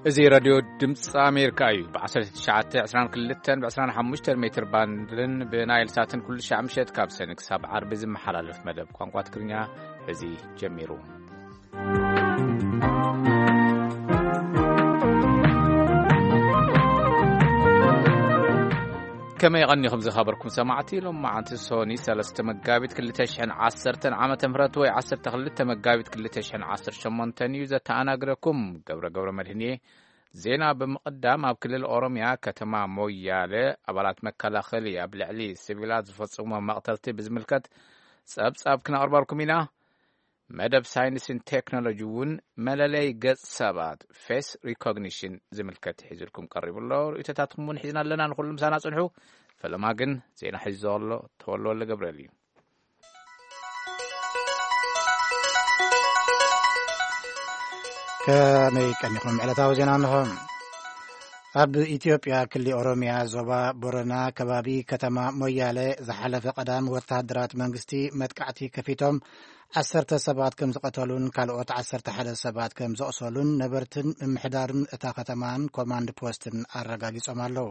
እዚ ሬድዮ ድምፂ ኣሜሪካ እዩ። ብ1922 ብ25 ሜትር ባንድን ብናይል ሳትን ኩሉ ሻዕ ምሸት ካብ ሰኒ ክሳብ ዓርቢ ዝመሓላለፍ መደብ ቋንቋ ትግርኛ እዚ ጀሚሩ። ከመይ ቀኒኹም ዝኸበርኩም ሰማዕቲ? ሎም መዓንቲ ሶኒ 3 መጋቢት 2010 ዓመተ ምህረት ወይ 12 መጋቢት 2018 እዩ። ዘተኣናግረኩም ገብረ ገብረ መድህን እየ። ዜና ብምቕዳም፣ ኣብ ክልል ኦሮምያ ከተማ ሞያለ ኣባላት መከላኸሊ ኣብ ልዕሊ ሲቪላት ዝፈጽሞ መቕተልቲ ብዝምልከት ጸብጻብ ክነቕርበልኩም ኢና። መደብ ሳይንስን ቴክኖሎጂ እውን መለለይ ገጽ ሰባት፣ ፌስ ሪኮግኒሽን፣ ዝምልከት ሒዝልኩም ቀሪቡ ኣሎ። ርእይቶታትኩም እውን ሒዝና ኣለና። ንኹሉ ምሳና ጽንሑ። ፈለማ ግን ዜና ሒዙ ዘሎ ተወልደ ወልደ ገብርኤል እዩ። ከመይ ቀኒኹም? ዕለታዊ ዜና እንሆ። ኣብ ኢትዮጵያ ክሊ ኦሮምያ ዞባ ቦረና ከባቢ ከተማ ሞያለ ዝሓለፈ ቀዳም ወታደራት መንግስቲ መጥቃዕቲ ከፊቶም 10 ሰባት ከም ዝቐተሉን ካልኦት 11 ሰባት ከም ዘቑሰሉን ነበርትን ምምሕዳርን እታ ከተማን ኮማንድ ፖስትን ኣረጋጊጾም ኣለዉ።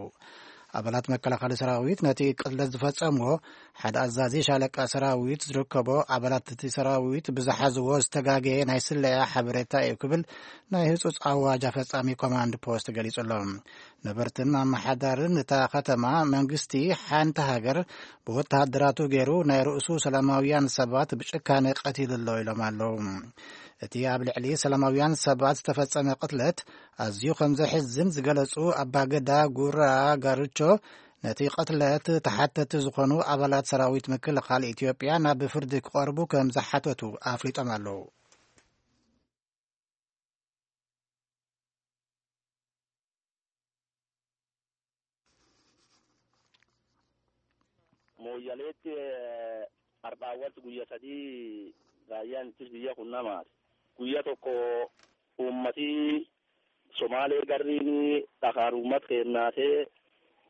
ኣባላት መከላኸሊ ሰራዊት ነቲ ቅትለት ዝፈጸምዎ ሓደ ኣዛዚ ሻለቃ ሰራዊት ዝርከቦ ኣባላት እቲ ሰራዊት ብዝሓዝዎ ዝተጋገየ ናይ ስለያ ሓበሬታ እዩ ክብል ናይ ህጹጽ ኣዋጅ ኣፈጻሚ ኮማንድ ፖስት ገሊጹ ኣሎ። ነበርትን ኣመሓዳርን እታ ከተማ መንግስቲ ሓንቲ ሃገር ብወተሃደራቱ ገይሩ ናይ ርእሱ ሰላማውያን ሰባት ብጭካነ ቀቲሉ ኣሎ ኢሎም ኣለዉ። እቲ ኣብ ልዕሊ ሰላማውያን ሰባት ዝተፈጸመ ቅትለት ኣዝዩ ከም ዘሕዝን ዝገለጹ ኣባገዳ ጉራ ጋርቾ፣ ነቲ ቅትለት ተሓተቲ ዝኾኑ ኣባላት ሰራዊት ምክልኻል ኢትዮጵያ ናብ ፍርዲ ክቐርቡ ከም ዝሓተቱ ኣፍሊጦም ኣለዉ። Mooyyaleetti har'aawwanti guyya sadii raayyaan ittis biyya kun namaati. Guyya tokko uummati Somaalee garriin dhakaan uummat keennaatee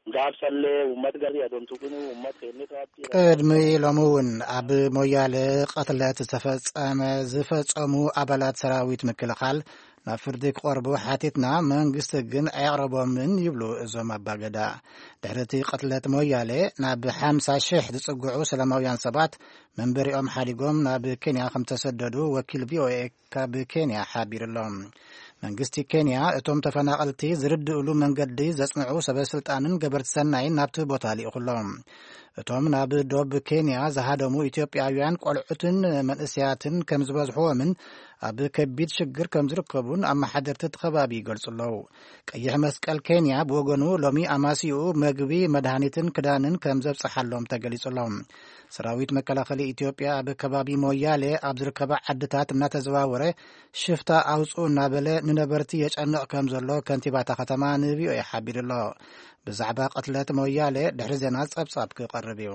gaabsallee uummat garrii adon tuqinuu uummat keenni taatti. ቅድሚ ሎሚ እውን ኣብ ሞያለ ቅትለት ዝተፈጸመ ዝፈጸሙ ኣባላት ሰራዊት ምክልኻል ናብ ፍርዲ ክቐርቡ ሓቲትና፣ መንግስቲ ግን ኣየቕረቦምን ይብሉ እዞም ኣባገዳ። ድሕሪ እቲ ቅትለት ሞያሌ ናብ 50,000 ዝጽግዑ ሰላማውያን ሰባት መንበሪኦም ሓዲጎም ናብ ኬንያ ከም ተሰደዱ ወኪል ቪኦኤ ካብ ኬንያ ሓቢሩ ኣሎ። መንግስቲ ኬንያ እቶም ተፈናቐልቲ ዝርድእሉ መንገዲ ዘጽንዑ ሰበስልጣንን ገበርቲ ሰናይን ናብቲ ቦታ ልኢኹ ኣሎ። እቶም ናብ ዶብ ኬንያ ዝሃደሙ ኢትዮጵያውያን ቆልዑትን መንእሰያትን ከም ዝበዝሕዎምን ኣብ ከቢድ ሽግር ከም ዝርከቡን ኣመሓደርቲ እቲ ከባቢ ይገልጹ ኣለዉ። ቀይሕ መስቀል ኬንያ ብወገኑ ሎሚ ኣማስይኡ መግቢ፣ መድሃኒትን ክዳንን ከም ዘብጽሓሎም ተገሊጹ ኣሎ። ሰራዊት መከላኸሊ ኢትዮጵያ ኣብ ከባቢ ሞያሌ ኣብ ዝርከባ ዓድታት እናተዘዋወረ ሽፍታ ኣውጽኡ እናበለ ንነበርቲ የጨንቕ ከም ዘሎ ከንቲባታ ከተማ ንቪኦኤ ሓቢሩ ኣሎ። ብዛዕባ ቅትለት ሞያሌ ድሕሪ ዜና ጸብጻብ ክቐርብ እዩ።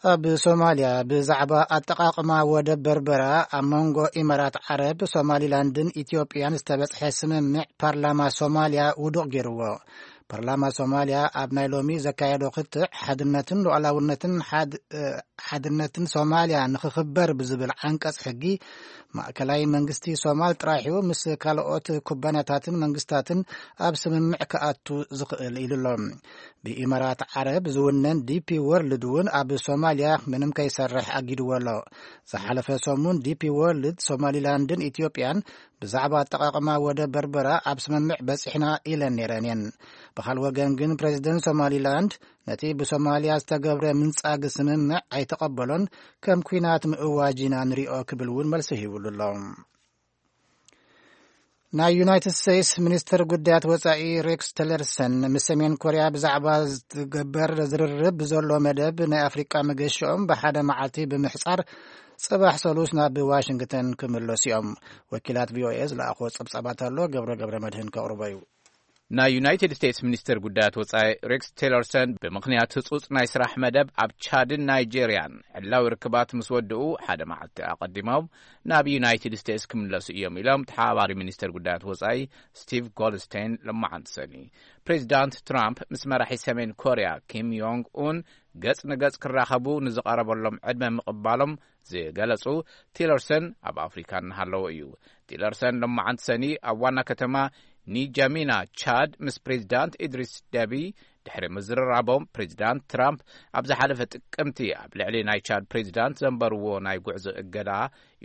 ኣብ ሶማልያ ብዛዕባ ኣጠቓቕማ ወደብ በርበራ ኣብ መንጎ ኢማራት ዓረብ፣ ሶማሊላንድን ኢትዮጵያን ዝተበጽሐ ስምምዕ ፓርላማ ሶማልያ ውዱቕ ገይርዎ። ፓርላማ ሶማልያ ኣብ ናይ ሎሚ ዘካየዶ ክትዕ ሓድነትን ሉዓላውነትን ሓድ-፣ እ፣ ሓድነትን ሶማልያ ንኽኽበር ብዝብል ዓንቀጽ ሕጊ ማእከላይ መንግስቲ ሶማል ጥራሕዩ ምስ ካልኦት ኩባንያታትን መንግስታትን ኣብ ስምምዕ ክኣቱ ዝኽእል ኢሉ ኣሎ። ብኢማራት ዓረብ ዝውነን ዲፒ ወርልድ እውን ኣብ ሶማልያ ምንም ከይሰርሕ ኣጊድዎ ኣሎ። ዝሓለፈ ሰሙን ዲፒ ወርልድ ሶማሊላንድን ኢትዮጵያን ብዛዕባ ኣጠቓቕማ ወደብ በርበራ ኣብ ስምምዕ በጺሕና ኢለን ነይረን እየን። ብኻል ወገን ግን ፕሬዚደንት ሶማሊላንድ ነቲ ብሶማልያ ዝተገብረ ምንጻግ ስምምዕ ኣይተቐበሎን፣ ከም ኲናት ምእዋጅ ኢና ንሪኦ ክብል እውን መልሲ ሂቡሉ ኣሎ። ናይ ዩናይትድ ስቴትስ ሚኒስትር ጉዳያት ወጻኢ ሬክስ ቲለርሰን ምስ ሰሜን ኮርያ ብዛዕባ ዝትገበር ዝርርብ ብዘሎ መደብ ናይ ኣፍሪቃ መገሽኦም ብሓደ መዓልቲ ብምሕጻር ጽባሕ ሰሉስ ናብ ዋሽንግተን ክምለሱ እዮም። ወኪላት ቪኦኤ ዝለኣኽዎ ጸብጻባት ኣሎ፣ ገብረ ገብረ መድህን ከቕርቦ እዩ። ናይ ዩናይትድ ስቴትስ ሚኒስትር ጉዳያት ወጻኢ ሬክስ ቲለርሰን ብምኽንያት ህጹጽ ናይ ስራሕ መደብ ኣብ ቻድን ናይጄርያን ዕላዊ ርክባት ምስ ወድኡ ሓደ መዓልቲ ኣቐዲሞም ናብ ዩናይትድ ስቴትስ ክምለሱ እዮም ኢሎም ተሓባባሪ ሚኒስትር ጉዳያት ወጻኢ ስቲቭ ጎልድስቴን ለማዓንቲ ሰኒ። ፕሬዚዳንት ትራምፕ ምስ መራሒ ሰሜን ኮርያ ኪም ዮንግ ኡን ገጽ ንገጽ ክራኸቡ ንዝቐረበሎም ዕድመ ምቕባሎም ዝገለጹ ቲለርሰን ኣብ ኣፍሪካ እናሃለዎ እዩ። ቲለርሰን ሎማዓንቲ ሰኒ ኣብ ዋና ከተማ ኒጃሚና ቻድ ምስ ፕሬዚዳንት ኢድሪስ ደቢ ድሕሪ ምዝርራቦም፣ ፕሬዚዳንት ትራምፕ ኣብ ዝሓለፈ ጥቅምቲ ኣብ ልዕሊ ናይ ቻድ ፕሬዚዳንት ዘንበርዎ ናይ ጉዕዞ እገዳ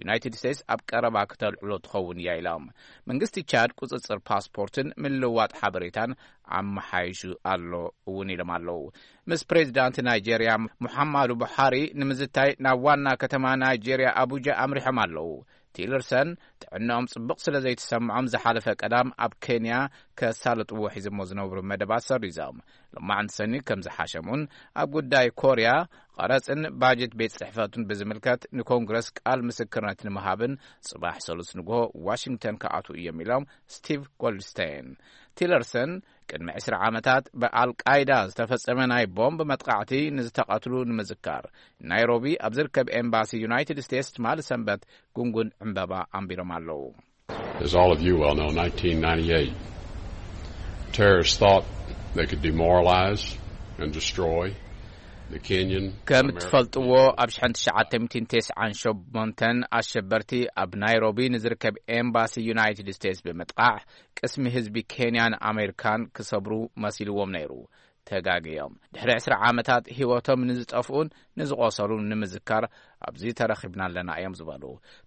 ዩናይትድ ስቴትስ ኣብ ቀረባ ክተልዕሎ ትኸውን እያ ኢሎም። መንግስቲ ቻድ ቁፅፅር ፓስፖርትን ምልውዋጥ ሓበሬታን ኣመሓይሹ ኣሎ እውን ኢሎም ኣለዉ። ምስ ፕሬዚዳንት ናይጄርያ ሙሓማዱ ቡሓሪ ንምዝታይ ናብ ዋና ከተማ ናይጄርያ ኣቡጃ ኣምሪሖም ኣለዉ። ቲለርሰን ጥዕናኦም ጽቡቕ ስለ ዘይተሰምዖም ዝሓለፈ ቀዳም ኣብ ኬንያ ከሳልጥዎ ሒዞሞ ዝነብሩ መደባት ሰሪዞም። ሎማዕንቲ ሰኒ ከም ዝሓሸሙን ኣብ ጉዳይ ኮርያ ቀረጽን ባጀት ቤት ጽሕፈቱን ብዝምልከት ንኮንግረስ ቃል ምስክርነት ንምሃብን ጽባሕ ሰሉስ ንግሆ ዋሽንግተን ክኣትዉ እዮም ኢሎም ስቲቭ ጎልድስቴን። ቲለርሰን ቅድሚ ዕስራ ዓመታት ብኣልቃይዳ ዝተፈጸመ ናይ ቦምብ መጥቃዕቲ ንዝተቐትሉ ንምዝካር ናይሮቢ ኣብ ዝርከብ ኤምባሲ ዩናይትድ ስቴትስ ትማሊ ሰንበት ጉንጉን ዕምበባ ኣንቢሮም ኣለዉ። As all of you well know, nineteen ninety-eight, terrorists thought they could demoralize and destroy the Kenyan ከም American ትፈልጥዎ፣ ኣብ ሽሕን ትሽዓተ ሚእትን ተስዓን ሸሞንተን ኣሸበርቲ ኣብ ናይሮቢ ንዝርከብ ኤምባሲ ዩናይትድ ስቴትስ ብምጥቃዕ ቅስሚ ህዝቢ ኬንያን ኣሜሪካን ክሰብሩ መሲልዎም ነይሩ። ተጋግዮም። ድሕሪ ዕስራ ዓመታት ህይወቶም ንዝጠፍኡን ንዝቆሰሉን ንምዝካር ኣብዚ ተረኺብና ኣለና እዮም ዝበሉ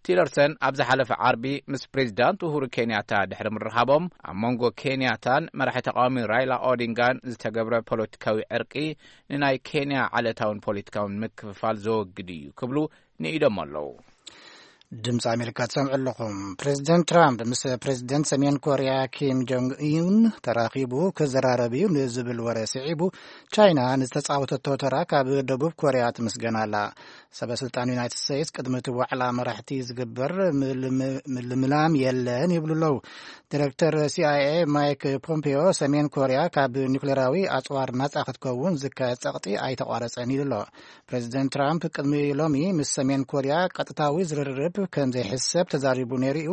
ቲለርሰን ኣብ ዝሓለፈ ዓርቢ ምስ ፕሬዚዳንት ኡሁሩ ኬንያታ ድሕሪ ምርኻቦም፣ ኣብ መንጎ ኬንያታን መራሒ ተቃዋሚ ራይላ ኦዲንጋን ዝተገብረ ፖለቲካዊ ዕርቂ ንናይ ኬንያ ዓለታውን ፖለቲካውን ምክፍፋል ዘወግድ እዩ ክብሉ ንኢዶም ኣለዉ። ድምፂ ኣሜሪካ ትሰምዑ ኣለኹም። ፕሬዚደንት ትራምፕ ምስ ፕሬዚደንት ሰሜን ኮርያ ኪም ጆንግ ኡን ተራኺቡ ክዘራረብ እዩ ንዝብል ወረ ስዒቡ፣ ቻይና ንዝተፃወተቶ ተራ ካብ ደቡብ ኮርያ ትምስገን ኣላ። ሰበ ስልጣን ዩናይትድ ስቴትስ ቅድሚ እቲ ዋዕላ መራሕቲ ዝግበር ምልም-፣ ምልምላም የለን ይብሉ ኣለዉ። ዲሬክተር ሲ ኣይ ኤ ማይክ ፖምፔዮ ሰሜን ኮርያ ካብ ኒውክሌራዊ ኣፅዋር ናፃ ክትከውን ዝካየድ ፀቕጢ ኣይተቋረፀን ኢሉ ኣሎ። ፕሬዚደንት ትራምፕ ቅድሚ ሎሚ ምስ ሰሜን ኮርያ ቀጥታዊ ዝርርብ ከም ዘይሕሰብ ተዛሪቡ ነይሩ እዩ።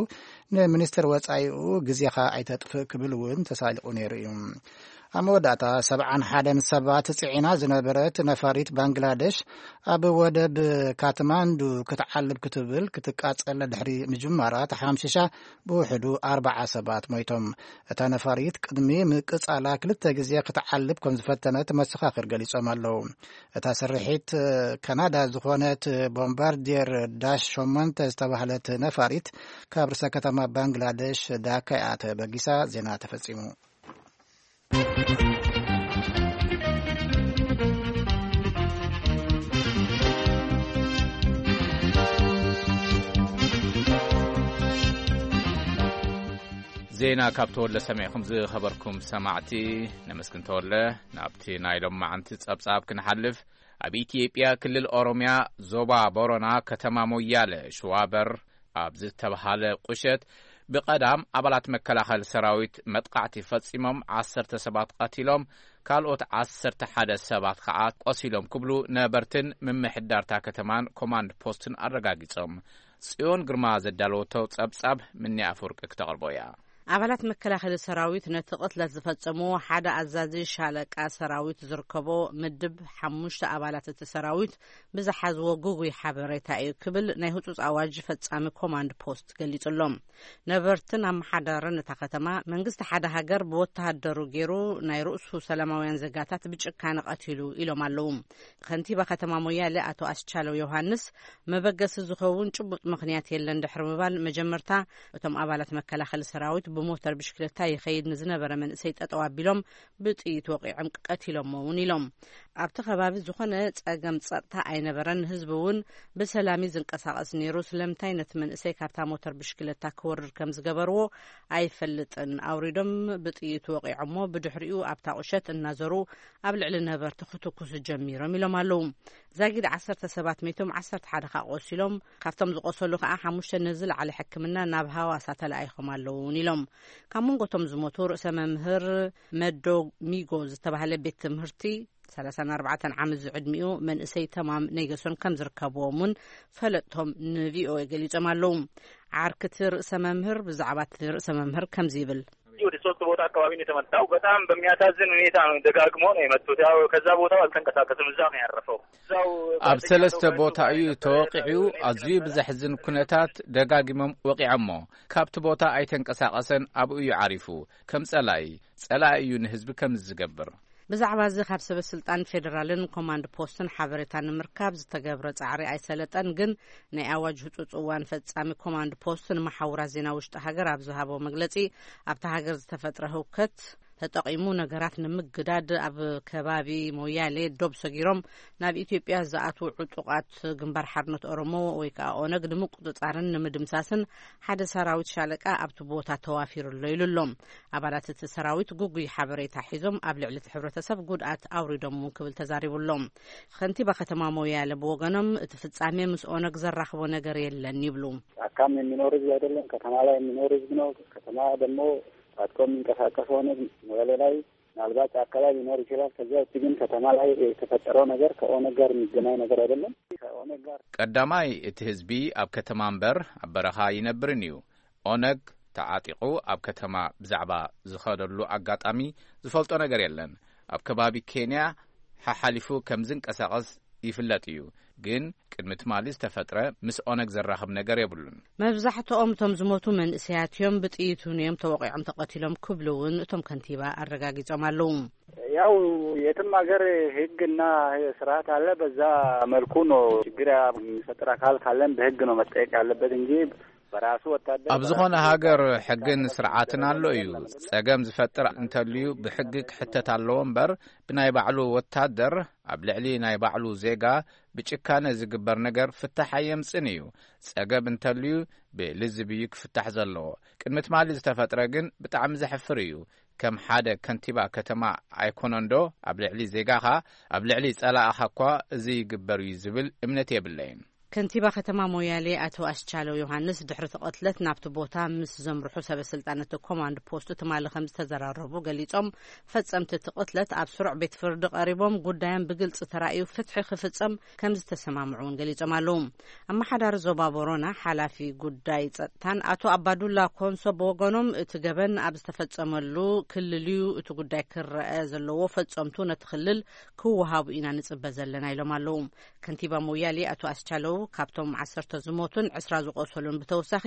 ንሚኒስትር ወጻኢኡ ግዜኻ ኣይተጥፍእ ክብል እውን ተሳሊቑ ነይሩ እዩ። ኣብ መወዳእታ ሰብዓን ሓደን ሰባት ጽዒና ዝነበረት ነፋሪት ባንግላደሽ ኣብ ወደብ ካትማንዱ ክትዓልብ ክትብል ክትቃጸል ድሕሪ ምጅማራ ተሓምሽሻ ብውሕዱ ኣርባዓ ሰባት ሞይቶም። እታ ነፋሪት ቅድሚ ምቅጻላ ክልተ ግዜ ክትዓልብ ከም ዝፈተነት መሰኻኽር ገሊጾም ኣለዉ። እታ ስርሒት ካናዳ ዝኾነት ቦምባርዲየር ዳሽ ሸሞንተ ዝተባህለት ነፋሪት ካብ ርእሰ ከተማ ባንግላደሽ ዳካ እያ ተበጊሳ። ዜና ተፈጺሙ። ዜና ካብ ተወለ ሰሚዕኹም ዝኸበርኩም ሰማዕቲ ነመስግን ተወለ። ናብቲ ናይ ሎማዓንቲ ጸብጻብ ክንሓልፍ፣ ኣብ ኢትዮጵያ ክልል ኦሮምያ ዞባ ቦረና ከተማ ሞያለ ሽዋበር ኣብ ዝተብሃለ ቁሸት ብቐዳም ኣባላት መከላኸሊ ሰራዊት መጥቃዕቲ ፈጺሞም ዓሰርተ ሰባት ቀቲሎም፣ ካልኦት ዓሰርተ ሓደ ሰባት ኸዓ ቆሲሎም ክብሉ ነበርትን ምምሕዳርታ ከተማን ኮማንድ ፖስትን ኣረጋጊጾም። ጽዮን ግርማ ዘዳለወቶ ጸብጻብ ምኒ ኣፈወርቂ ክተቕርቦ እያ። ኣባላት መከላኸሊ ሰራዊት ነቲ ቅትለት ዝፈጸምዎ ሓደ ኣዛዚ ሻለቃ ሰራዊት ዝርከቦ ምድብ ሓሙሽተ ኣባላት እቲ ሰራዊት ብዝሓዝዎ ግጉይ ሓበሬታ እዩ ክብል ናይ ህጹጽ ኣዋጅ ፈጻሚ ኮማንድ ፖስት ገሊጹ ኣሎ። ነበርትን ኣመሓዳርን እታ ከተማ መንግስቲ ሓደ ሃገር ብወተሃደሩ ገይሩ ናይ ርእሱ ሰላማውያን ዜጋታት ብጭካነ ቀቲሉ ኢሎም ኣለዉ። ከንቲባ ከተማ ሞያሌ ኣቶ ኣስቻለው ዮሃንስ መበገሲ ዝኸውን ጭቡጥ ምኽንያት የለን ድሕሪ ምባል መጀመርታ እቶም ኣባላት መከላኸሊ ሰራዊት ብሞተር ብሽክለታ ይኸይድ ንዝነበረ መንእሰይ ጠጠው ኣቢሎም ብጥይት ወቒዖም ቀቲሎሞ እውን ኢሎም። ኣብቲ ከባቢ ዝኾነ ጸገም ጸጥታ ኣይነበረን። ህዝቢ እውን ብሰላም እዩ ዝንቀሳቐስ ነይሩ። ስለምንታይ ነቲ መንእሰይ ካብታ ሞተር ብሽክለታ ክወርድ ከም ዝገበርዎ ኣይፈልጥን። ኣውሪዶም ብጥይት ወቒዖሞ፣ ብድሕሪኡ ኣብታ ቁሸት እናዘሩ ኣብ ልዕሊ ነበርቲ ክትኩሱ ጀሚሮም ኢሎም ኣለዉ። ዛጊድ ዓሰርተ ሰባት ሜቶም፣ ዓሰርተ ሓደ ከኣ ቆሲሎም። ካብቶም ዝቆሰሉ ከኣ ሓሙሽተ ንዝለዓለ ሕክምና ናብ ሃዋሳ ተለኣይኾም ኣለዉ እውን ኢሎም። ካብ መንጎቶም ዝሞቱ ርእሰ መምህር መዶ ሚጎ ዝተባህለ ቤት ትምህርቲ፣ ሰላሳን ኣርባዕተን ዓመት ዝዕድሚኡ መንእሰይ ተማም ነይገሶን ከም ዝርከብዎም እውን ፈለጥቶም ንቪኦኤ ገሊጾም ኣለዉ። ዓርክቲ ርእሰ መምህር ብዛዕባ እቲ ርእሰ መምህር ከምዚ ይብል። ወደ ሶስት ቦታ አካባቢ ነው የተመታው። በጣም በሚያሳዝን ሁኔታ ነው፣ ደጋግሞ ነው የመቱት። ያው ከዛ ቦታ አልተንቀሳቀስም፣ እዛ ነው ያረፈው። እዛው ኣብ ሰለስተ ቦታ እዩ ተወቂዑ። ኣዝዩ ብዘሕዝን ኩነታት ደጋጊሞም ወቂዖሞ። ካብቲ ቦታ ኣይተንቀሳቐሰን፣ ኣብኡ እዩ ዓሪፉ። ከም ጸላኢ፣ ጸላኢ እዩ ንህዝቢ ከም ዝገብር። ብዛዕባ እዚ ካብ ሰበ ስልጣን ፌዴራልን ኮማንድ ፖስትን ሓበሬታ ንምርካብ ዝተገብረ ጻዕሪ ኣይሰለጠን። ግን ናይ ኣዋጅ ህጹጽ እዋን ፈጻሚ ኮማንድ ፖስት ንመሓውራት ዜና ውሽጢ ሃገር ኣብ ዝሃቦ መግለጺ፣ ኣብታ ሃገር ዝተፈጥረ ህውከት ተጠቒሙ ነገራት ንምግዳድ ኣብ ከባቢ ሞያሌ ዶብ ሰጊሮም ናብ ኢትዮጵያ ዝኣትዉ ዕጡቓት ግንባር ሓርነት ኦሮሞ ወይ ከዓ ኦነግ ንምቁጽጻርን ንምድምሳስን ሓደ ሰራዊት ሻለቃ ኣብቲ ቦታ ተዋፊሩ ኣሎ ኢሉ ኣሎ። ኣባላት እቲ ሰራዊት ግጉይ ሓበሬታ ሒዞም ኣብ ልዕሊ እቲ ሕብረተሰብ ጉድኣት ኣውሪዶም እውን ክብል ተዛሪቡ ኣሎ። ከንቲባ ከተማ ሞያሌ ብወገኖም እቲ ፍጻሜ ምስ ኦነግ ዘራኽቦ ነገር የለን ይብሉ። አካባቢ የሚኖር ህዝብ አይደለም፣ ከተማ ላይ የሚኖር ህዝብ ነው። ከተማ ደግሞ ታጥቆ የሚንቀሳቀስ ሆነ ወደ ላይ ምናልባት አካባቢ ሊኖር ይችላል። ከዚያ ውጭ ግን ከተማ ላይ የተፈጠረው ነገር ከኦነግ ጋር የሚገናኝ ነገር አይደለም። ከኦነግ ጋር ቀዳማይ፣ እቲ ህዝቢ ኣብ ከተማ እምበር ኣብ በረኻ ይነብርን እዩ። ኦነግ ተዓጢቑ ኣብ ከተማ ብዛዕባ ዝኸደሉ ኣጋጣሚ ዝፈልጦ ነገር የለን። ኣብ ከባቢ ኬንያ ሓሓሊፉ ከም ዝንቀሳቐስ ይፍለጥ እዩ። ግን ቅድሚ ትማሊ ዝተፈጥረ ምስ ኦነግ ዘራኽብ ነገር የብሉን። መብዛሕትኦም እቶም ዝሞቱ መንእሰያት እዮም። ብጥይት እውን እዮም ተወቂዖም ተቐቲሎም ክብሉ እውን እቶም ከንቲባ ኣረጋጊጾም ኣለዉ። ያው የትም ሀገር ህግና ስርዓት አለ። በዛ መልኩ ነው። ችግር የሚፈጥር አካል ካለን በህግ ነው መጠየቅ ያለበት እንጂ በራሱ ወታደር ኣብ ዝኾነ በራሱ ሃገር ሕግን ስርዓትን ኣሎ እዩ። ጸገም ዝፈጥር እንተልዩ ብሕጊ ክሕተት ኣለዎ እምበር ብናይ ባዕሉ ወታደር ኣብ ልዕሊ ናይ ባዕሉ ዜጋ ብጭካነ ዝግበር ነገር ፍታሕ ኣየምጽን እዩ። ጸገም እንተልዩ ብልዝብ እዩ ክፍታሕ ዘለዎ። ቅድሚ ትማሊ ዝተፈጥረ ግን ብጣዕሚ ዘሕፍር እዩ። ከም ሓደ ከንቲባ ከተማ ኣይኮነንዶ ኣብ ልዕሊ ዜጋኻ፣ ኣብ ልዕሊ ጸላእኻ እኳ እዚ ይግበር እዩ ዝብል እምነት የብለይን። ከንቲባ ከተማ ሞያሌ ኣቶ ኣስቻለው ዮሃንስ ድሕሪ እቲ ቅትለት ናብቲ ቦታ ምስ ዘምርሑ ሰበ ስልጣን እቲ ኮማንድ ፖስት ትማሊ ከም ዝተዘራረቡ ገሊጾም፣ ፈጸምቲ እቲ ቅትለት ኣብ ስሩዕ ቤት ፍርዲ ቀሪቦም ጉዳዮም ብግልጺ ተራእዩ ፍትሒ ክፍጸም ከም ዝተሰማምዑ እውን ገሊጾም ኣለዉ። ኣመሓዳሪ ዞባ ቦሮና ሓላፊ ጉዳይ ጸጥታን ኣቶ ኣባዱላ ኮንሶ ብወገኖም እቲ ገበን ኣብ ዝተፈጸመሉ ክልል እዩ እቲ ጉዳይ ክረአ ዘለዎ፣ ፈጸምቱ ነቲ ክልል ክወሃቡ ኢና ንጽበ ዘለና ኢሎም ኣለዉ። ከንቲባ ሞያሌ ኣቶ ኣስቻለው ካብቶም ዓሰርተ ዝሞቱን ዕስራ ዝቆሰሉን ብተወሳኺ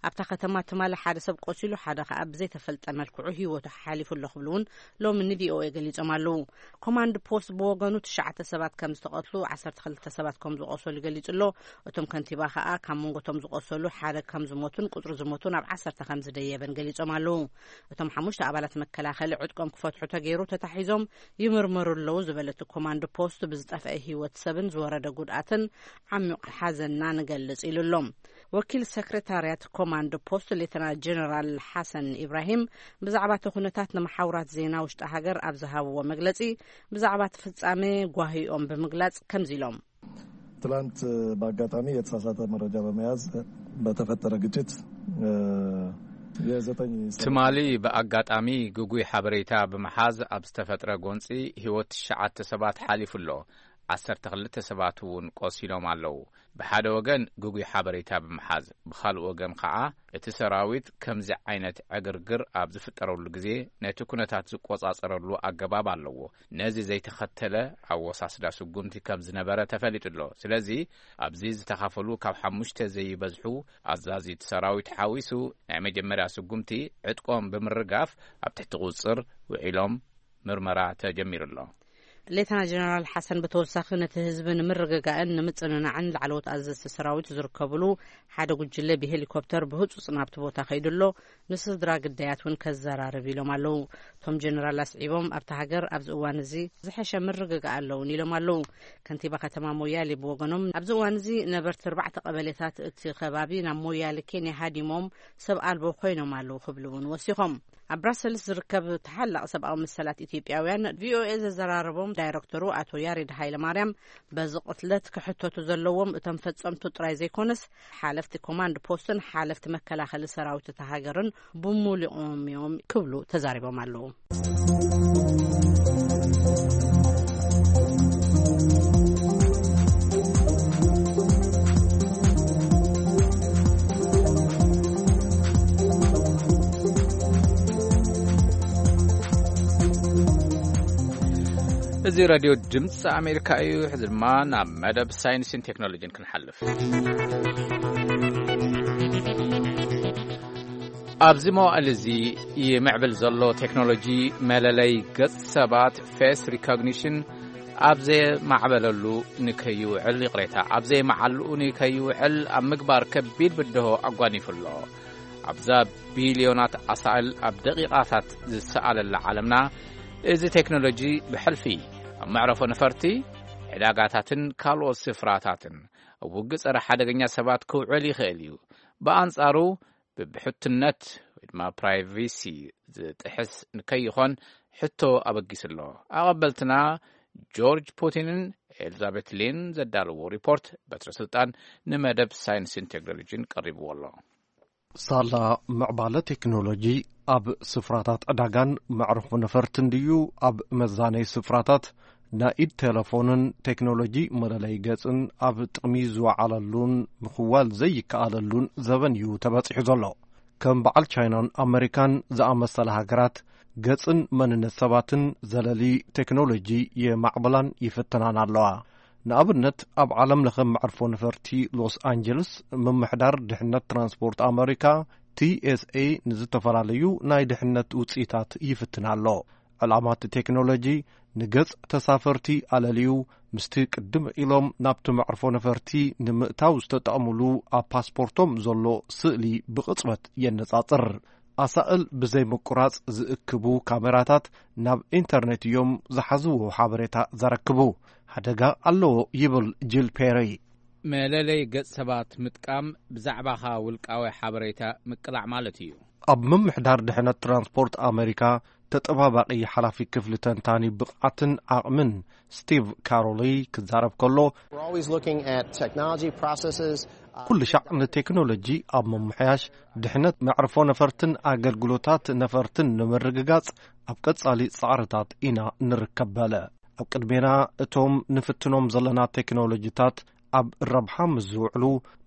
ኣብታ ከተማ ትማሊ ሓደ ሰብ ቆሲሉ ሓደ ከኣ ብዘይተፈልጠ መልክዑ ህይወቱ ሓሊፉ ኣሎ ክብሉ እውን ሎሚ ንቪኦኤ ገሊጾም ኣለዉ። ኮማንድ ፖስት ብወገኑ ትሽዓተ ሰባት ከም ዝተቐትሉ ዓሰርተ ክልተ ሰባት ከም ዝቆሰሉ ገሊጹ ኣሎ። እቶም ከንቲባ ከኣ ካብ መንጎቶም ዝቆሰሉ ሓደ ከም ዝሞቱን ቁጽሪ ዝሞቱ ናብ ዓሰርተ ከም ዝደየበን ገሊጾም ኣለዉ። እቶም ሓሙሽተ ኣባላት መከላኸሊ ዕጥቆም ክፈትሑ ተገይሩ ተታሒዞም ይምርመሩ ኣለዉ ዝበለ እቲ ኮማንድ ፖስት ብዝጠፍአ ህይወት ሰብን ዝወረደ ጉድኣትን ዓሚቕ ሓዘንና ንገልጽ ኢሉ ኣሎ። ወኪል ሰክሬታርያት ኮማንድ ፖስት ሌተና ጀነራል ሓሰን ኢብራሂም ብዛዕባ እቲ ኩነታት ንመሓውራት ዜና ውሽጢ ሃገር ኣብ ዝሃብዎ መግለጺ ብዛዕባ እቲ ፍጻሜ ጓሂኦም ብምግላጽ ከምዚ ኢሎም። ትላንት በአጋጣሚ የተሳሳተ መረጃ በመያዝ በተፈጠረ ግጭት የዘጠኝ ትማሊ ብኣጋጣሚ ግጉይ ሓበሬታ ብምሓዝ ኣብ ዝተፈጥረ ጎንጺ ህይወት ትሽዓተ ሰባት ሓሊፉ ኣሎ። ዓሰርተ ክልተ ሰባት እውን ቆሲሎም ኣለዉ። ብሓደ ወገን ግጉይ ሓበሬታ ብምሓዝ፣ ብኻልእ ወገን ከኣ እቲ ሰራዊት ከምዚ ዓይነት ዕግርግር ኣብ ዝፍጠረሉ ግዜ ነቲ ኩነታት ዝቆጻጸረሉ ኣገባብ ኣለዎ። ነዚ ዘይተኸተለ ኣወሳስዳ ስጉምቲ ከም ዝነበረ ተፈሊጡ ኣሎ። ስለዚ ኣብዚ ዝተኻፈሉ ካብ ሓሙሽተ ዘይበዝሑ ኣዛዚት ሰራዊት ሓዊሱ ናይ መጀመርያ ስጉምቲ ዕጥቆም ብምርጋፍ ኣብ ትሕቲ ቁጽር ውዒሎም ምርመራ ተጀሚሩ ኣሎ። ሌተና ጀነራል ሓሰን ብተወሳኺ፣ ነቲ ህዝቢ ንምርግጋእን ንምጽንናዕን ላዕለዎት ኣዘዝቲ ሰራዊት ዝርከብሉ ሓደ ጉጅለ ብሄሊኮፕተር ብህጹጽ ናብቲ ቦታ ከይዱ ኣሎ፣ ንስድራ ግዳያት እውን ከዘራርብ ኢሎም ኣለዉ። እቶም ጀነራል ኣስዒቦም፣ ኣብቲ ሃገር ኣብዚ እዋን እዚ ዝሐሸ ምርግጋእ ኣለውን ኢሎም ኣለዉ። ከንቲባ ከተማ ሞያሌ ብወገኖም፣ ኣብዚ እዋን እዚ ነበርቲ ኣርባዕተ ቀበሌታት እቲ ከባቢ ናብ ሞያሌ ኬንያ ሃዲሞም ሰብ ኣልቦ ኮይኖም ኣለዉ ክብሉ እውን ወሲኾም። ኣብ ብራሰልስ ዝርከብ ተሓላቕ ሰብኣዊ መሰላት ኢትዮጵያውያን ቪኦኤ ዘዘራረቦም ዳይረክተሩ ኣቶ ያሬድ ሃይለማርያም፣ በዚ ቅትለት ክሕተቱ ዘለዎም እቶም ፈጸምቱ ጥራይ ዘይኮነስ፣ ሓለፍቲ ኮማንድ ፖስትን ሓለፍቲ መከላኸሊ ሰራዊት እታ ሃገርን ብሙሉኦም እዮም ክብሉ ተዛሪቦም ኣለዉ። እዚ ራድዮ ድምፂ ኣሜሪካ እዩ። ሕዚ ድማ ናብ መደብ ሳይንስን ቴክኖሎጂን ክንሓልፍ። ኣብዚ መዋእል እዚ ይምዕብል ዘሎ ቴክኖሎጂ መለለይ ገጽ ሰባት፣ ፌስ ሪኮግኒሽን፣ ኣብ ዘየማዕበለሉ ንከይውዕል፣ ይቕሬታ፣ ኣብ ዘየማዓልኡ ንከይውዕል ኣብ ምግባር ከቢድ ብድሆ ኣጓኒፉ ኣሎ። ኣብዛ ቢልዮናት ኣሳእል ኣብ ደቂቓታት ዝሰኣለላ ዓለምና፣ እዚ ቴክኖሎጂ ብሕልፊ ኣብ መዕረፎ ነፈርቲ፣ ዕዳጋታትን ካልኦት ስፍራታትን ኣብ ውግእ ጸረ ሓደገኛ ሰባት ክውዕል ይኽእል እዩ። ብኣንጻሩ፣ ብብሕትነት ወይ ድማ ፕራይቬሲ ዝጥሕስ ንከይኾን ሕቶ ኣበጊሱ ኣሎ። ኣቐበልትና ጆርጅ ፑቲንን ኤልዛቤት ሊን ዘዳለዎ ሪፖርት፣ በትረ ስልጣን ንመደብ ሳይንስን ቴክኖሎጂን ቀሪብዎ ኣሎ። ሳላ ምዕባለ ቴክኖሎጂ ኣብ ስፍራታት ዕዳጋን መዕረፎ ነፈርትን ድዩ፣ ኣብ መዛነይ ስፍራታት ናይ ኢድ ቴሌፎንን ቴክኖሎጂ መለለይ ገጽን ኣብ ጥቕሚ ዝወዓለሉን ምኽዋል ዘይከኣለሉን ዘበን እዩ ተበጺሑ ዘሎ። ከም በዓል ቻይናን ኣመሪካን ዝኣመሰላ ሃገራት፣ ገጽን መንነት ሰባትን ዘለሊ ቴክኖሎጂ የማዕብላን ይፍትናን ኣለዋ። ንኣብነት፣ ኣብ ዓለም ለኸ መዕርፎ ነፈርቲ ሎስ ኣንጀለስ፣ ምምሕዳር ድሕነት ትራንስፖርት ኣመሪካ፣ ቲ ኤስ ኤ፣ ንዝተፈላለዩ ናይ ድሕነት ውጽኢታት ይፍትን ኣሎ። ዕላማ እቲ ቴክኖሎጂ፣ ንገጽ ተሳፈርቲ ኣለልዩ፣ ምስቲ ቅድም ኢሎም ናብቲ መዕርፎ ነፈርቲ ንምእታው ዝተጠቕምሉ ኣብ ፓስፖርቶም ዘሎ ስእሊ ብቕጽበት የነጻጽር። ኣሳእል ብዘይ ምቁራጽ ዝእክቡ ካሜራታት ናብ ኢንተርኔት እዮም ዝሓዝዎ ሓበሬታ ዘረክቡ። ሓደጋ ኣለዎ ይብል ጂል ፔሪ። መለለይ ገጽ ሰባት ምጥቃም ብዛዕባኻ ውልቃዊ ሓበሬታ ምቅላዕ ማለት እዩ። ኣብ ምምሕዳር ድሕነት ትራንስፖርት ኣመሪካ ተጠባባቒ ሓላፊ ክፍሊ ተንታኒ ብቕዓትን ዓቕምን ስቲቭ ካሮሊ ክዛረብ ከሎ፣ We're always looking at technology processes. ኩሉ ሻዕ ንቴክኖሎጂ ኣብ ምምሕያሽ ድሕነት መዕርፎ ነፈርትን ኣገልግሎታት ነፈርትን ንምርግጋጽ ኣብ ቀጻሊ ጻዕርታት ኢና ንርከብ በለ። ኣብ ቅድሜና እቶም ንፍትኖም ዘለና ቴክኖሎጂታት ኣብ ረብሓ ምስ ዝውዕሉ፣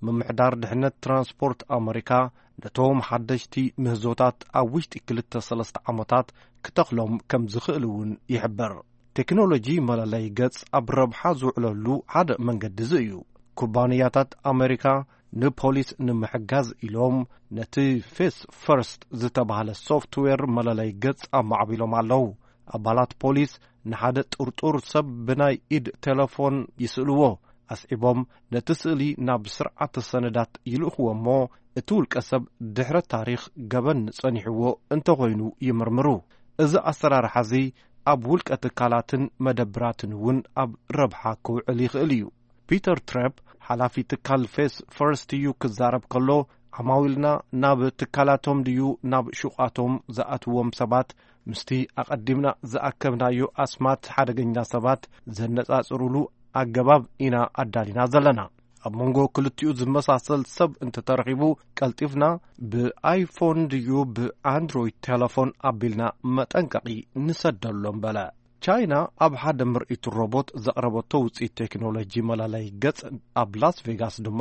ምምሕዳር ድሕነት ትራንስፖርት ኣመሪካ ነቶም ሓደሽቲ ምህዞታት ኣብ ውሽጢ ክልተ ሰለስተ ዓመታት ክተኽሎም ከም ዝኽእል እውን ይሕብር። ቴክኖሎጂ መለለይ ገጽ ኣብ ረብሓ ዝውዕለሉ ሓደ መንገዲ እዚ እዩ። ኩባንያታት ኣመሪካ ንፖሊስ ንምሕጋዝ ኢሎም ነቲ ፌስ ፈርስት ዝተባህለ ሶፍትዌር መለለይ ገጽ ኣማዕቢሎም ኣለዉ። ኣባላት ፖሊስ ንሓደ ጥርጡር ሰብ ብናይ ኢድ ቴሌፎን ይስእልዎ። ኣስዒቦም፣ ነቲ ስእሊ ናብ ስርዓተ ሰነዳት ይልእኽዎ እሞ፣ እቲ ውልቀ ሰብ ድሕረ ታሪኽ ገበን ጸኒሕዎ እንተኾይኑ ይምርምሩ። እዚ ኣሰራርሓ እዚ ኣብ ውልቀ ትካላትን መደብራትን እውን ኣብ ረብሓ ክውዕል ይኽእል እዩ። ፒተር ትረፕ፣ ሓላፊ ትካል ፌስ ፈርስት እዩ ክዛረብ ከሎ፣ ዓማዊልና ናብ ትካላቶም ድዩ ናብ ሹቓቶም ዝኣትዎም ሰባት ምስቲ ኣቐዲምና ዝኣከብናዮ ኣስማት ሓደገኛ ሰባት ዘነጻጽሩሉ ኣገባብ ኢና ኣዳሊና ዘለና። ኣብ መንጎ ክልቲኡ ዝመሳሰል ሰብ እንተተረኺቡ፣ ቀልጢፍና ብኣይፎን ድዩ ብኣንድሮይድ ቴሌፎን ኣቢልና መጠንቀቒ ንሰደሎም በለ። ቻይና ኣብ ሓደ ምርኢት ሮቦት ዘቕረበቶ ውፅኢት ቴክኖሎጂ መላለይ ገጽ፣ ኣብ ላስ ቬጋስ ድማ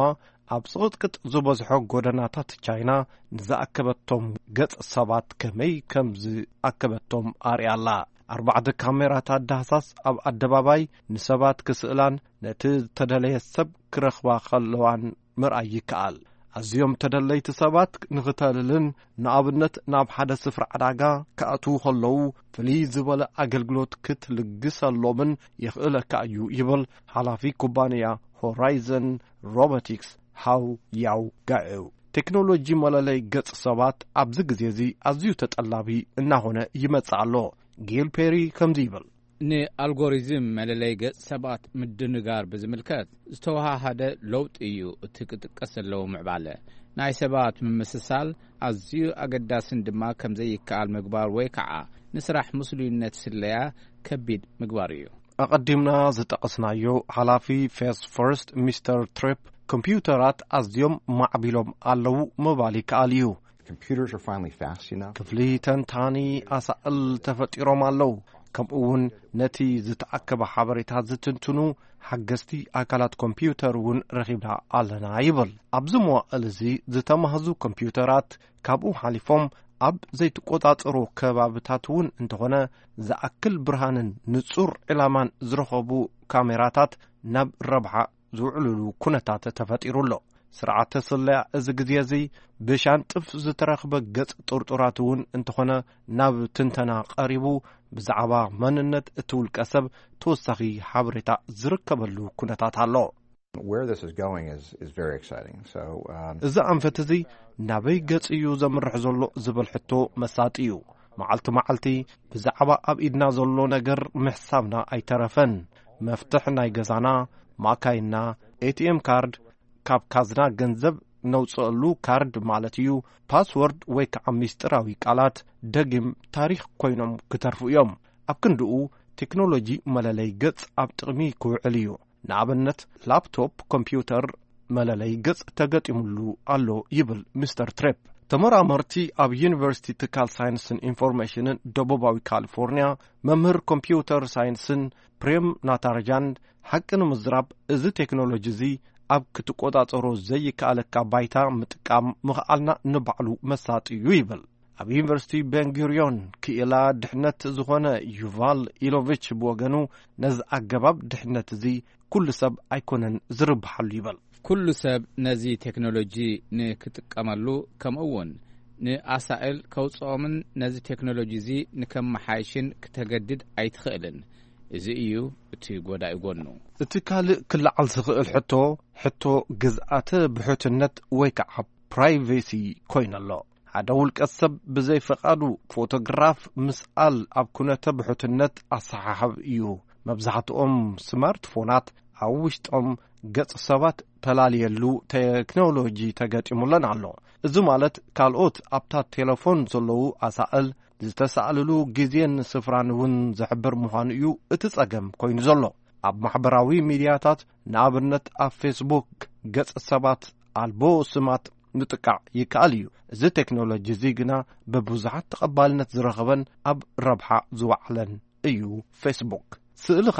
ኣብ ጽቕጥቅጥ ዝበዝሖ ጎደናታት ቻይና ንዝኣከበቶም ገጽ ሰባት ከመይ ከም ዝኣከበቶም ኣርእያ ኣላ። ኣርባዕተ ካሜራታት ዳህሳስ ኣብ ኣደባባይ ንሰባት ክስእላን ነቲ ዝተደለየ ሰብ ክረኽባ ከለዋን ምርኣይ ይከኣል። ኣዝዮም ተደለይቲ ሰባት ንኽተልልን ንኣብነት ናብ ሓደ ስፍራ ዕዳጋ ክኣትዉ ከለዉ ፍልይ ዝበለ ኣገልግሎት ክትልግሰሎምን የኽእለካ እዩ ይብል ሓላፊ ኩባንያ ሆራይዘን ሮቦቲክስ ሃው ያው ጋኤው። ቴክኖሎጂ መለለይ ገጽ ሰባት ኣብዚ ግዜ እዚ ኣዝዩ ተጠላቢ እናኾነ ይመጽእ ኣሎ። ጊል ፔሪ ከምዚ ይብል። ንኣልጎሪዝም መለለይ ገጽ ሰባት ምድንጋር ብዝምልከት ዝተወሃሃደ ለውጢ እዩ እቲ ክጥቀስ ዘለዎ ምዕባለ። ናይ ሰባት ምምስሳል ኣዝዩ ኣገዳስን ድማ ከም ዘይከኣል ምግባር ወይ ከዓ ንስራሕ ምስሉይነት ስለያ ከቢድ ምግባር እዩ። ኣቐዲምና ዝጠቐስናዮ ሓላፊ ፌስ ፈርስት ሚስተር ትሪፕ ኮምፒውተራት ኣዝዮም ማዕቢሎም ኣለዉ ምባል ይከኣል እዩ። Computers are finally fast enough. ክፍሊ ተንታኒ ኣሳእል ተፈጢሮም ኣለዉ። ከምኡ እውን ነቲ ዝተኣከበ ሓበሬታ ዝትንትኑ ሓገዝቲ ኣካላት ኮምፒውተር እውን ረኺብና ኣለና ይብል። ኣብዚ መዋእል እዚ ዝተማህዙ ኮምፒውተራት ካብኡ ሓሊፎም ኣብ ዘይትቆጻጸሮ ከባብታት እውን እንተኾነ ዝኣክል ብርሃንን ንጹር ዕላማን ዝረኸቡ ካሜራታት ናብ ረብሓ ዝውዕልሉ ኩነታት ተፈጢሩ ኣሎ። ስርዓተ ስለያ እዚ ግዜ እዚ ብሻንጥፍ ዝተረኽበ ገጽ ጥርጡራት እውን እንተኾነ ናብ ትንተና ቀሪቡ ብዛዕባ መንነት እቲ ውልቀ ሰብ ተወሳኺ ሓበሬታ ዝርከበሉ ኩነታት ኣሎ። Where this is going is, is very exciting. So, um, እዚ ኣንፈት እዚ ናበይ ገጽ እዩ ዘምርሕ ዘሎ ዝብል ሕቶ መሳጢ እዩ። መዓልቲ መዓልቲ ብዛዕባ ኣብ ኢድና ዘሎ ነገር ምሕሳብና ኣይተረፈን። መፍትሕ ናይ ገዛና፣ ማካይና፣ ኤቲኤም ካርድ፣ ካብ ካዝና ገንዘብ ነውፅአሉ ካርድ ማለት እዩ፣ ፓስወርድ ወይ ከዓ ሚስጥራዊ ቃላት፣ ደጊም ታሪኽ ኮይኖም ክተርፉ እዮም። ኣብ ክንድኡ ቴክኖሎጂ መለለይ ገጽ ኣብ ጥቕሚ ክውዕል እዩ። ንኣብነት ላፕቶፕ ኮምፒውተር መለለይ ገጽ ተገጢሙሉ ኣሎ ይብል ሚስተር ትሬፕ። ተመራመርቲ ኣብ ዩኒቨርሲቲ ትካል ሳይንስን ኢንፎርሜሽንን ደቡባዊ ካሊፎርኒያ መምህር ኮምፒውተር ሳይንስን ፕሬም ናታርጃን ሓቂ ንምዝራብ እዚ ቴክኖሎጂ እዚ ኣብ ክትቆጻጸሮ ዘይከኣለካ ባይታ ምጥቃም ምኽኣልና ንባዕሉ መሳጢ እዩ ይብል። ኣብ ዩኒቨርሲቲ ቤንጉሪዮን ክኢላ ድሕነት ዝኾነ ዩቫል ኢሎቪች ብወገኑ ነዚ ኣገባብ ድሕነት እዚ ኩሉ ሰብ ኣይኮነን ዝርብሓሉ ይብል። ኩሉ ሰብ ነዚ ቴክኖሎጂ ንክጥቀመሉ ከምኡ እውን ንኣሳእል ከውፅኦምን ነዚ ቴክኖሎጂ እዚ ንከመሓይሽን ክተገድድ ኣይትኽእልን። እዚ እዩ እቲ ጎዳኢ ጎኑ። እቲ ካልእ ክለዓል ዝኽእል ሕቶ ሕቶ ግዝኣተ ብሕትነት ወይ ከዓ ፕራይቬሲ ኮይኑ ኣሎ። ሓደ ውልቀ ሰብ ብዘይ ፈቓዱ ፎቶግራፍ ምስኣል ኣብ ኩነተ ብሕትነት ኣሰሓሕብ እዩ። መብዛሕትኦም ስማርትፎናት ኣብ ውሽጦም ገጽ ሰባት ተላልየሉ ቴክኖሎጂ ተገጢሙለን ኣሎ። እዚ ማለት ካልኦት ኣብታ ቴሌፎን ዘለዉ ኣሳእል ዝተሳእልሉ ግዜን ስፍራን እውን ዝሕብር ምዃኑ እዩ እቲ ጸገም ኮይኑ ዘሎ። ኣብ ማሕበራዊ ሚድያታት ንኣብነት ኣብ ፌስቡክ ገጽ ሰባት ኣልቦ ስማት ምጥቃዕ ይከኣል እዩ። እዚ ቴክኖሎጂ እዚ ግና ብብዙሓት ተቐባልነት ዝረኸበን ኣብ ረብሓ ዝወዓለን እዩ ፌስቡክ። ስእልኻ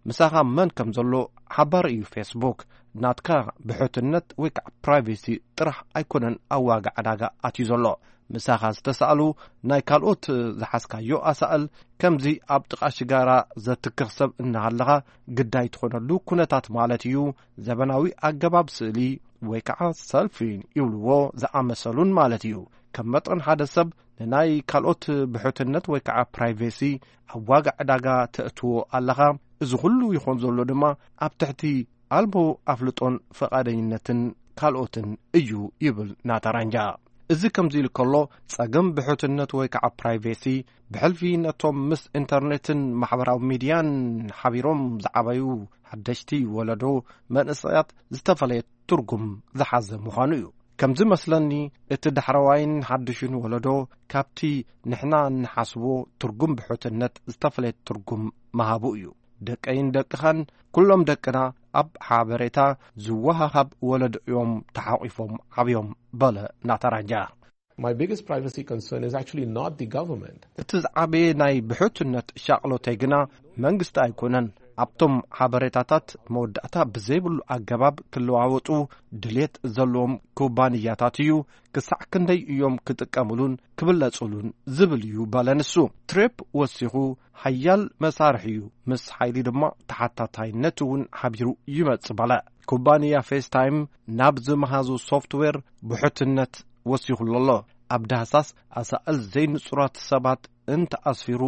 ምሳኻ መን ከም ዘሎ ሓባሪ እዩ ፌስቡክ። ናትካ ብሕትነት ወይ ከዓ ፕራይቬሲ ጥራሕ ኣይኮነን ኣብ ዋጋ ዕዳጋ ኣትዩ ዘሎ። ምሳኻ ዝተሳእሉ ናይ ካልኦት ዝሓዝካዮ ኣሳእል ከምዚ ኣብ ጥቓ ሽጋራ ዘትክኽ ሰብ እናሃለኻ ግዳይ ትኾነሉ ኩነታት ማለት እዩ። ዘበናዊ ኣገባብ ስእሊ ወይ ከዓ ሰልፊ ይብልዎ ዝኣመሰሉን ማለት እዩ። ከም መጠን ሓደ ሰብ ንናይ ካልኦት ብሕትነት ወይ ከዓ ፕራይቬሲ ኣብ ዋጋ ዕዳጋ ተእትዎ ኣለኻ። እዚ ኩሉ ይኾን ዘሎ ድማ ኣብ ትሕቲ ኣልቦ ኣፍልጦን ፈቓደኝነትን ካልኦትን እዩ ይብል ናታራንጃ። እዚ ከምዚ ኢሉ ከሎ ጸገም ብሕትነት ወይ ከዓ ፕራይቬሲ ብሕልፊ ነቶም ምስ ኢንተርኔትን ማሕበራዊ ሚድያን ሓቢሮም ዝዓበዩ ሓደሽቲ ወለዶ መንእሰያት ዝተፈለየ ትርጉም ዝሓዘ ምዃኑ እዩ። ከምዚ መስለኒ እቲ ዳሕረዋይን ሓድሽን ወለዶ ካብቲ ንሕና እንሓስቦ ትርጉም ብሕትነት ዝተፈለየ ትርጉም ምሃቡ እዩ። ደቀይን ደቅኻን ኩሎም ደቅና ኣብ ሓበሬታ ዝወሃሃብ ወለዶ እዮም ተሓቒፎም ዓብዮም በለ ናታራንጃ። My biggest privacy concern is actually not the government. እቲ ዝዓበየ ናይ ብሕትነት ሻቕሎተይ ግና መንግስቲ ኣይኮነን። ኣብቶም ሓበሬታታት መወዳእታ ብዘይብሉ ኣገባብ ክለዋወጡ ድልየት ዘለዎም ኩባንያታት እዩ። ክሳዕ ክንደይ እዮም ክጥቀምሉን ክብለጹሉን ዝብል እዩ በለ ንሱ። ትሬፕ ወሲኹ፣ ሓያል መሳርሒ እዩ፣ ምስ ሓይሊ ድማ ተሓታታይነት እውን ሓቢሩ ይመጽእ በለ። ኩባንያ ፌስታይም ናብ ዝመሃዙ ሶፍትዌር ብሕትነት ወሲኹሉ ኣሎ። ኣብ ዳህሳስ ኣሳእል ዘይንጹራት ሰባት እንተኣስፊሩ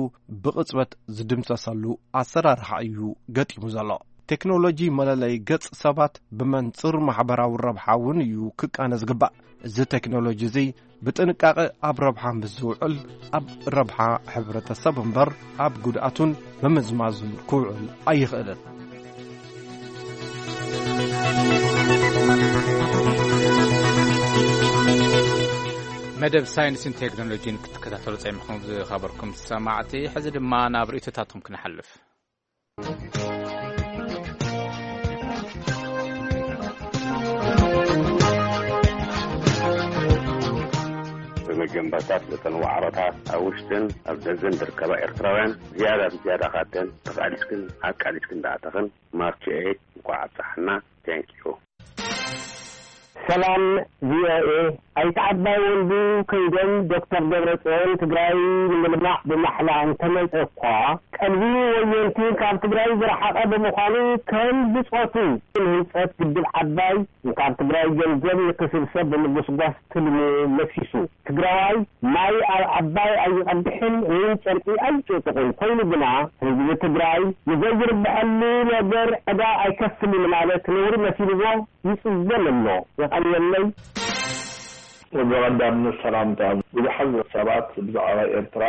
ብቕጽበት ዝድምሰሰሉ ኣሰራርሓ እዩ ገጢሙ ዘሎ። ቴክኖሎጂ መለለይ ገጽ ሰባት ብመንጽር ማሕበራዊ ረብሓ እውን እዩ ክቃነ ዝግባእ። እዚ ቴክኖሎጂ እዚ ብጥንቃቐ ኣብ ረብሓ ምስ ዝውዕል፣ ኣብ ረብሓ ሕብረተሰብ እምበር ኣብ ጉድኣቱን ምምዝማዙን ክውዕል ኣይኽእልን። መደብ ሳይንስን ቴክኖሎጂን ክትከታተሉ ጸሚኹም ዝኸበርኩም ሰማዕቲ፣ ሕዚ ድማ ናብ ርእይቶታትኩም ክንሓልፍ። ብመጀመርታ ስለተን ዋዕሮታት ኣብ ውሽጥን ኣብ ደገን ዝርከባ ኤርትራውያን ዝያዳ ብዝያዳ ካብተን ተቓሊስክን ኣቃሊስክን ዝኣተኽን ማርች ኤይት እንኳዕ ኣብፀሐና። Thank you። ሰላም ቪኦኤ። ኣይተ ዓባይ ወልዱ ከይዶም ዶክተር ደብረጽዮን ትግራይ ንምልማዕ ብማሕላ እንተመጸ እኳ፣ ቀልቢ ወየንቲ ካብ ትግራይ ዝረሓቐ ብምዃኑ፣ ከም ብጾቱ ንህንጸት ግድብ ዓባይ ካብ ትግራይ ገንዘብ ንክስብሰብ ብምጉስጓስ ትልሙ መሲሱ። ትግራዋይ ማይ ኣብ ዓባይ ኣይቐድሕን ወይ ጨርቂ ኣይጭጥቕን ኮይኑ ግና፣ ህዝቢ ትግራይ ንዘይርብሐሉ ነገር ዕዳ ኣይከፍልን ማለት ነውሪ መሲልዎ ይጽገም ኣሎ። የቐንየለይ። ብቐዳምነት ሰላምታ። ብዙሓት ሰባት ብዛዕባ ኤርትራ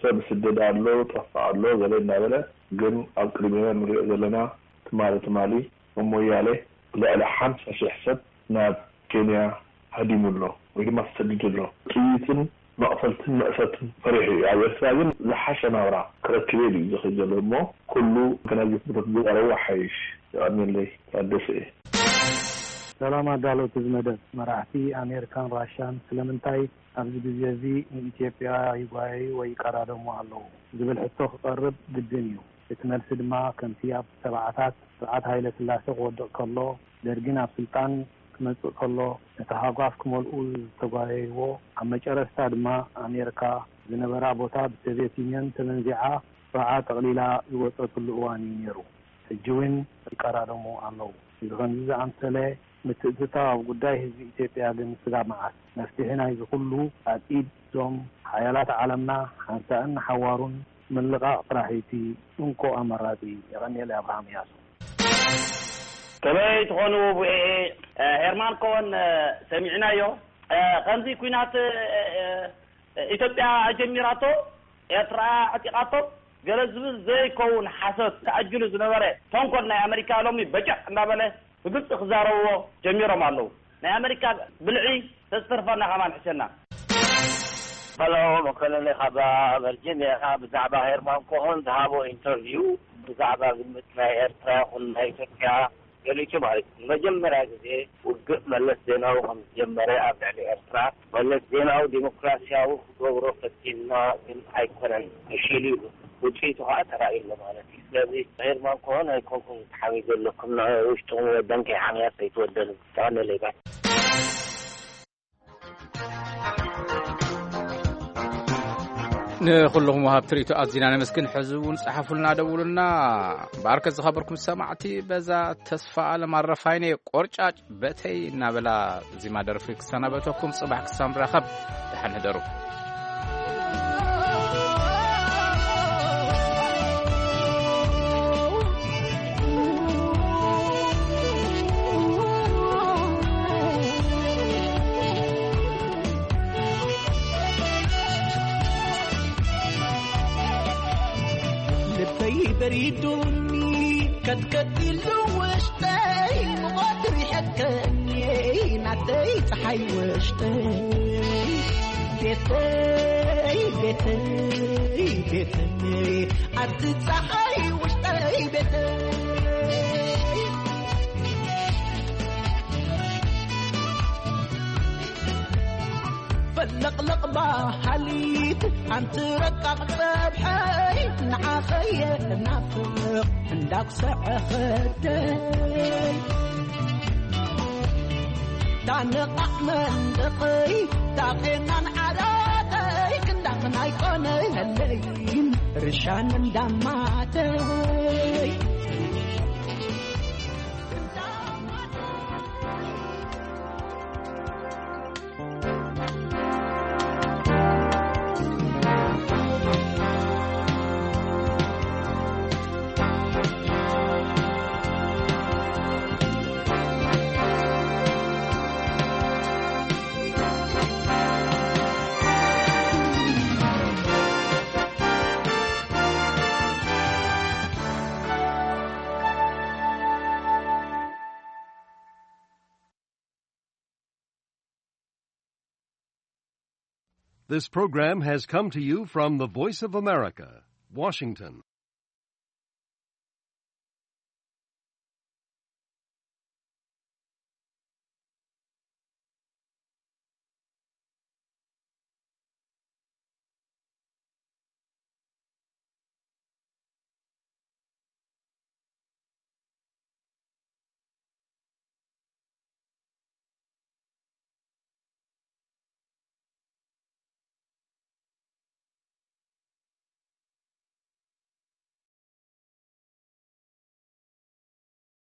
ሰብ ስደድ ኣሎ፣ ጠፍእ ኣሎ፣ ገለ እናበለ፣ ግን ኣብ ቅድሚና ንሪኦ ዘለና ትማሊ ትማሊ ኣብ ሞያሌ ልዕሊ ሓምሳ ሺሕ ሰብ ናብ ኬንያ ሃዲሙ ኣሎ ወይ ድማ ተሰዲዱ ኣሎ። ጥይትን መቕተልትን መእሰትን ፈሪሑ እዩ። ኣብ ኤርትራ ግን ዝሓሸ ናብራ ክረክብ እዩ ዝኽእል ዘሎ እሞ ኩሉ ከናዚ ኩነታት ዝቐረቡ ሓይሽ። የቐንየለይ። ታደሰ እየ። ሰላም ኣዳለውቲ እዚ መደብ። መራሕቲ ኣሜሪካን ራሻን ስለምንታይ ኣብዚ ግዜ እዚ ንኢትዮጵያ ይጓየዩ ወይ ይቀዳደሙ ኣለዉ ዝብል ሕቶ ክቐርብ ግድን እዩ። እቲ መልሲ ድማ ከምቲ ኣብ ሰብዓታት ስርዓት ሃይለ ስላሴ ክወድቕ ከሎ፣ ደርጊን ኣብ ስልጣን ክመጽእ ከሎ ነቲ ሃጓፍ ክመልኡ ዝተጓየይዎ፣ ኣብ መጨረስታ ድማ ኣሜሪካ ዝነበራ ቦታ ብሶቪየት ዩኒየን ተመንዚዓ፣ ስርዓ ጠቕሊላ ዝወጸትሉ እዋን እዩ ነይሩ። ሕጂ እውን ይቀዳደሙ ኣለዉ። እዚ ከምዚ ዝኣምሰለ ምትእትታው ኣብ ጉዳይ ህዝቢ ኢትዮጵያ ግን ስጋብ መዓስ? መፍትሒ ናይዚ ኩሉ ኣብ ኢድ እዞም ሓያላት ዓለምና ሓንሳእን ንሓዋሩን ምልቓቕ ጥራሕ እዩ እቲ እንኮ ኣማራጺ። የቐንየለይ። ኣብርሃም እያሱ። ከመይ ትኾኑ ቪኦኤ? ሄርማን ኮሆን ሰሚዕናዮ። ከምዚ ኲናት ኢትዮጵያ ኣጀሚራቶ፣ ኤርትራ ኣዕጢቓቶ፣ ገለ ዝብል ዘይከውን ሓሶት ተኣጅሉ ዝነበረ ተንኮል ናይ ኣመሪካ ሎሚ በጨቕ እንዳበለ ብግልጺ ክዛረብዎ ጀሚሮም ኣለዉ። ናይ ኣመሪካ ብልዒ ተዝተርፈና ከማን ሕሸና። ሀሎ፣ መኮንን ካብ ቨርጂኒያ። ብዛዕባ ሄርማን ኮሆን ዝሃቦ ኢንተርቪው፣ ብዛዕባ ግምት ናይ ኤርትራ ይኹን ናይ ኢትዮጵያ ገሊጹ ማለት እዩ። ንመጀመርያ ግዜ ውግእ መለስ ዜናዊ ከም ዝጀመረ ኣብ ልዕሊ ኤርትራ፣ መለስ ዜናዊ ዲሞክራሲያዊ ክገብሮ ፈቲንና ግን ኣይኮነን፣ ፈሺሉ እዩ። ውጽኢቱ ከኣ ተራእዩ ኣሎ ማለት እዩ። ስለዚ ሄርማን ኮሆን ኣይኮንኩም ትሓምዩ ዘለኩም፣ ንውሽጥኹም ወደን ከይሓምያ ከይትወደኑ። ተቐነለይ ባይ። ንኹልኹም ወሃብቲ ርእይቶ ኣዚና ነመስግን። ሕዚ እውን ጸሓፉልና፣ ደውሉና። በኣርከ ዝኸበርኩም ሰማዕቲ፣ በዛ ተስፋ ኣለም ኣረፋይነ ቆርጫጭ በተይ እናበላ ዜማ ደርፊ ክሰናበተኩም፣ ጽባሕ ክሳብ ንራኸብ ደሓን ህደሩ። ልበይ በሪዱኒ ከትከት ኢሉ ውሽጠይ፣ ሙቐት ሪሐከኒ ናተይ ፀሓይ ውሽጠይ። ቤተይ ቤተይ ቤተይ፣ ኣቲ ፀሓይ ውሽጠይ ቤተይ። ፈለቕለቕ በሃሊት ኣንቲ ረቃቕ ፀብሒ፣ ኣይ ንዓኸየ ናፍቕ እንዳኩሰዐ ኸደይ ታንቓዕ መንደቐይ ታቄናን ዓራተይ ክንዳኽን ኣይኮነለይን ርሻን እንዳማተይ This program has come to you from the Voice of America, Washington.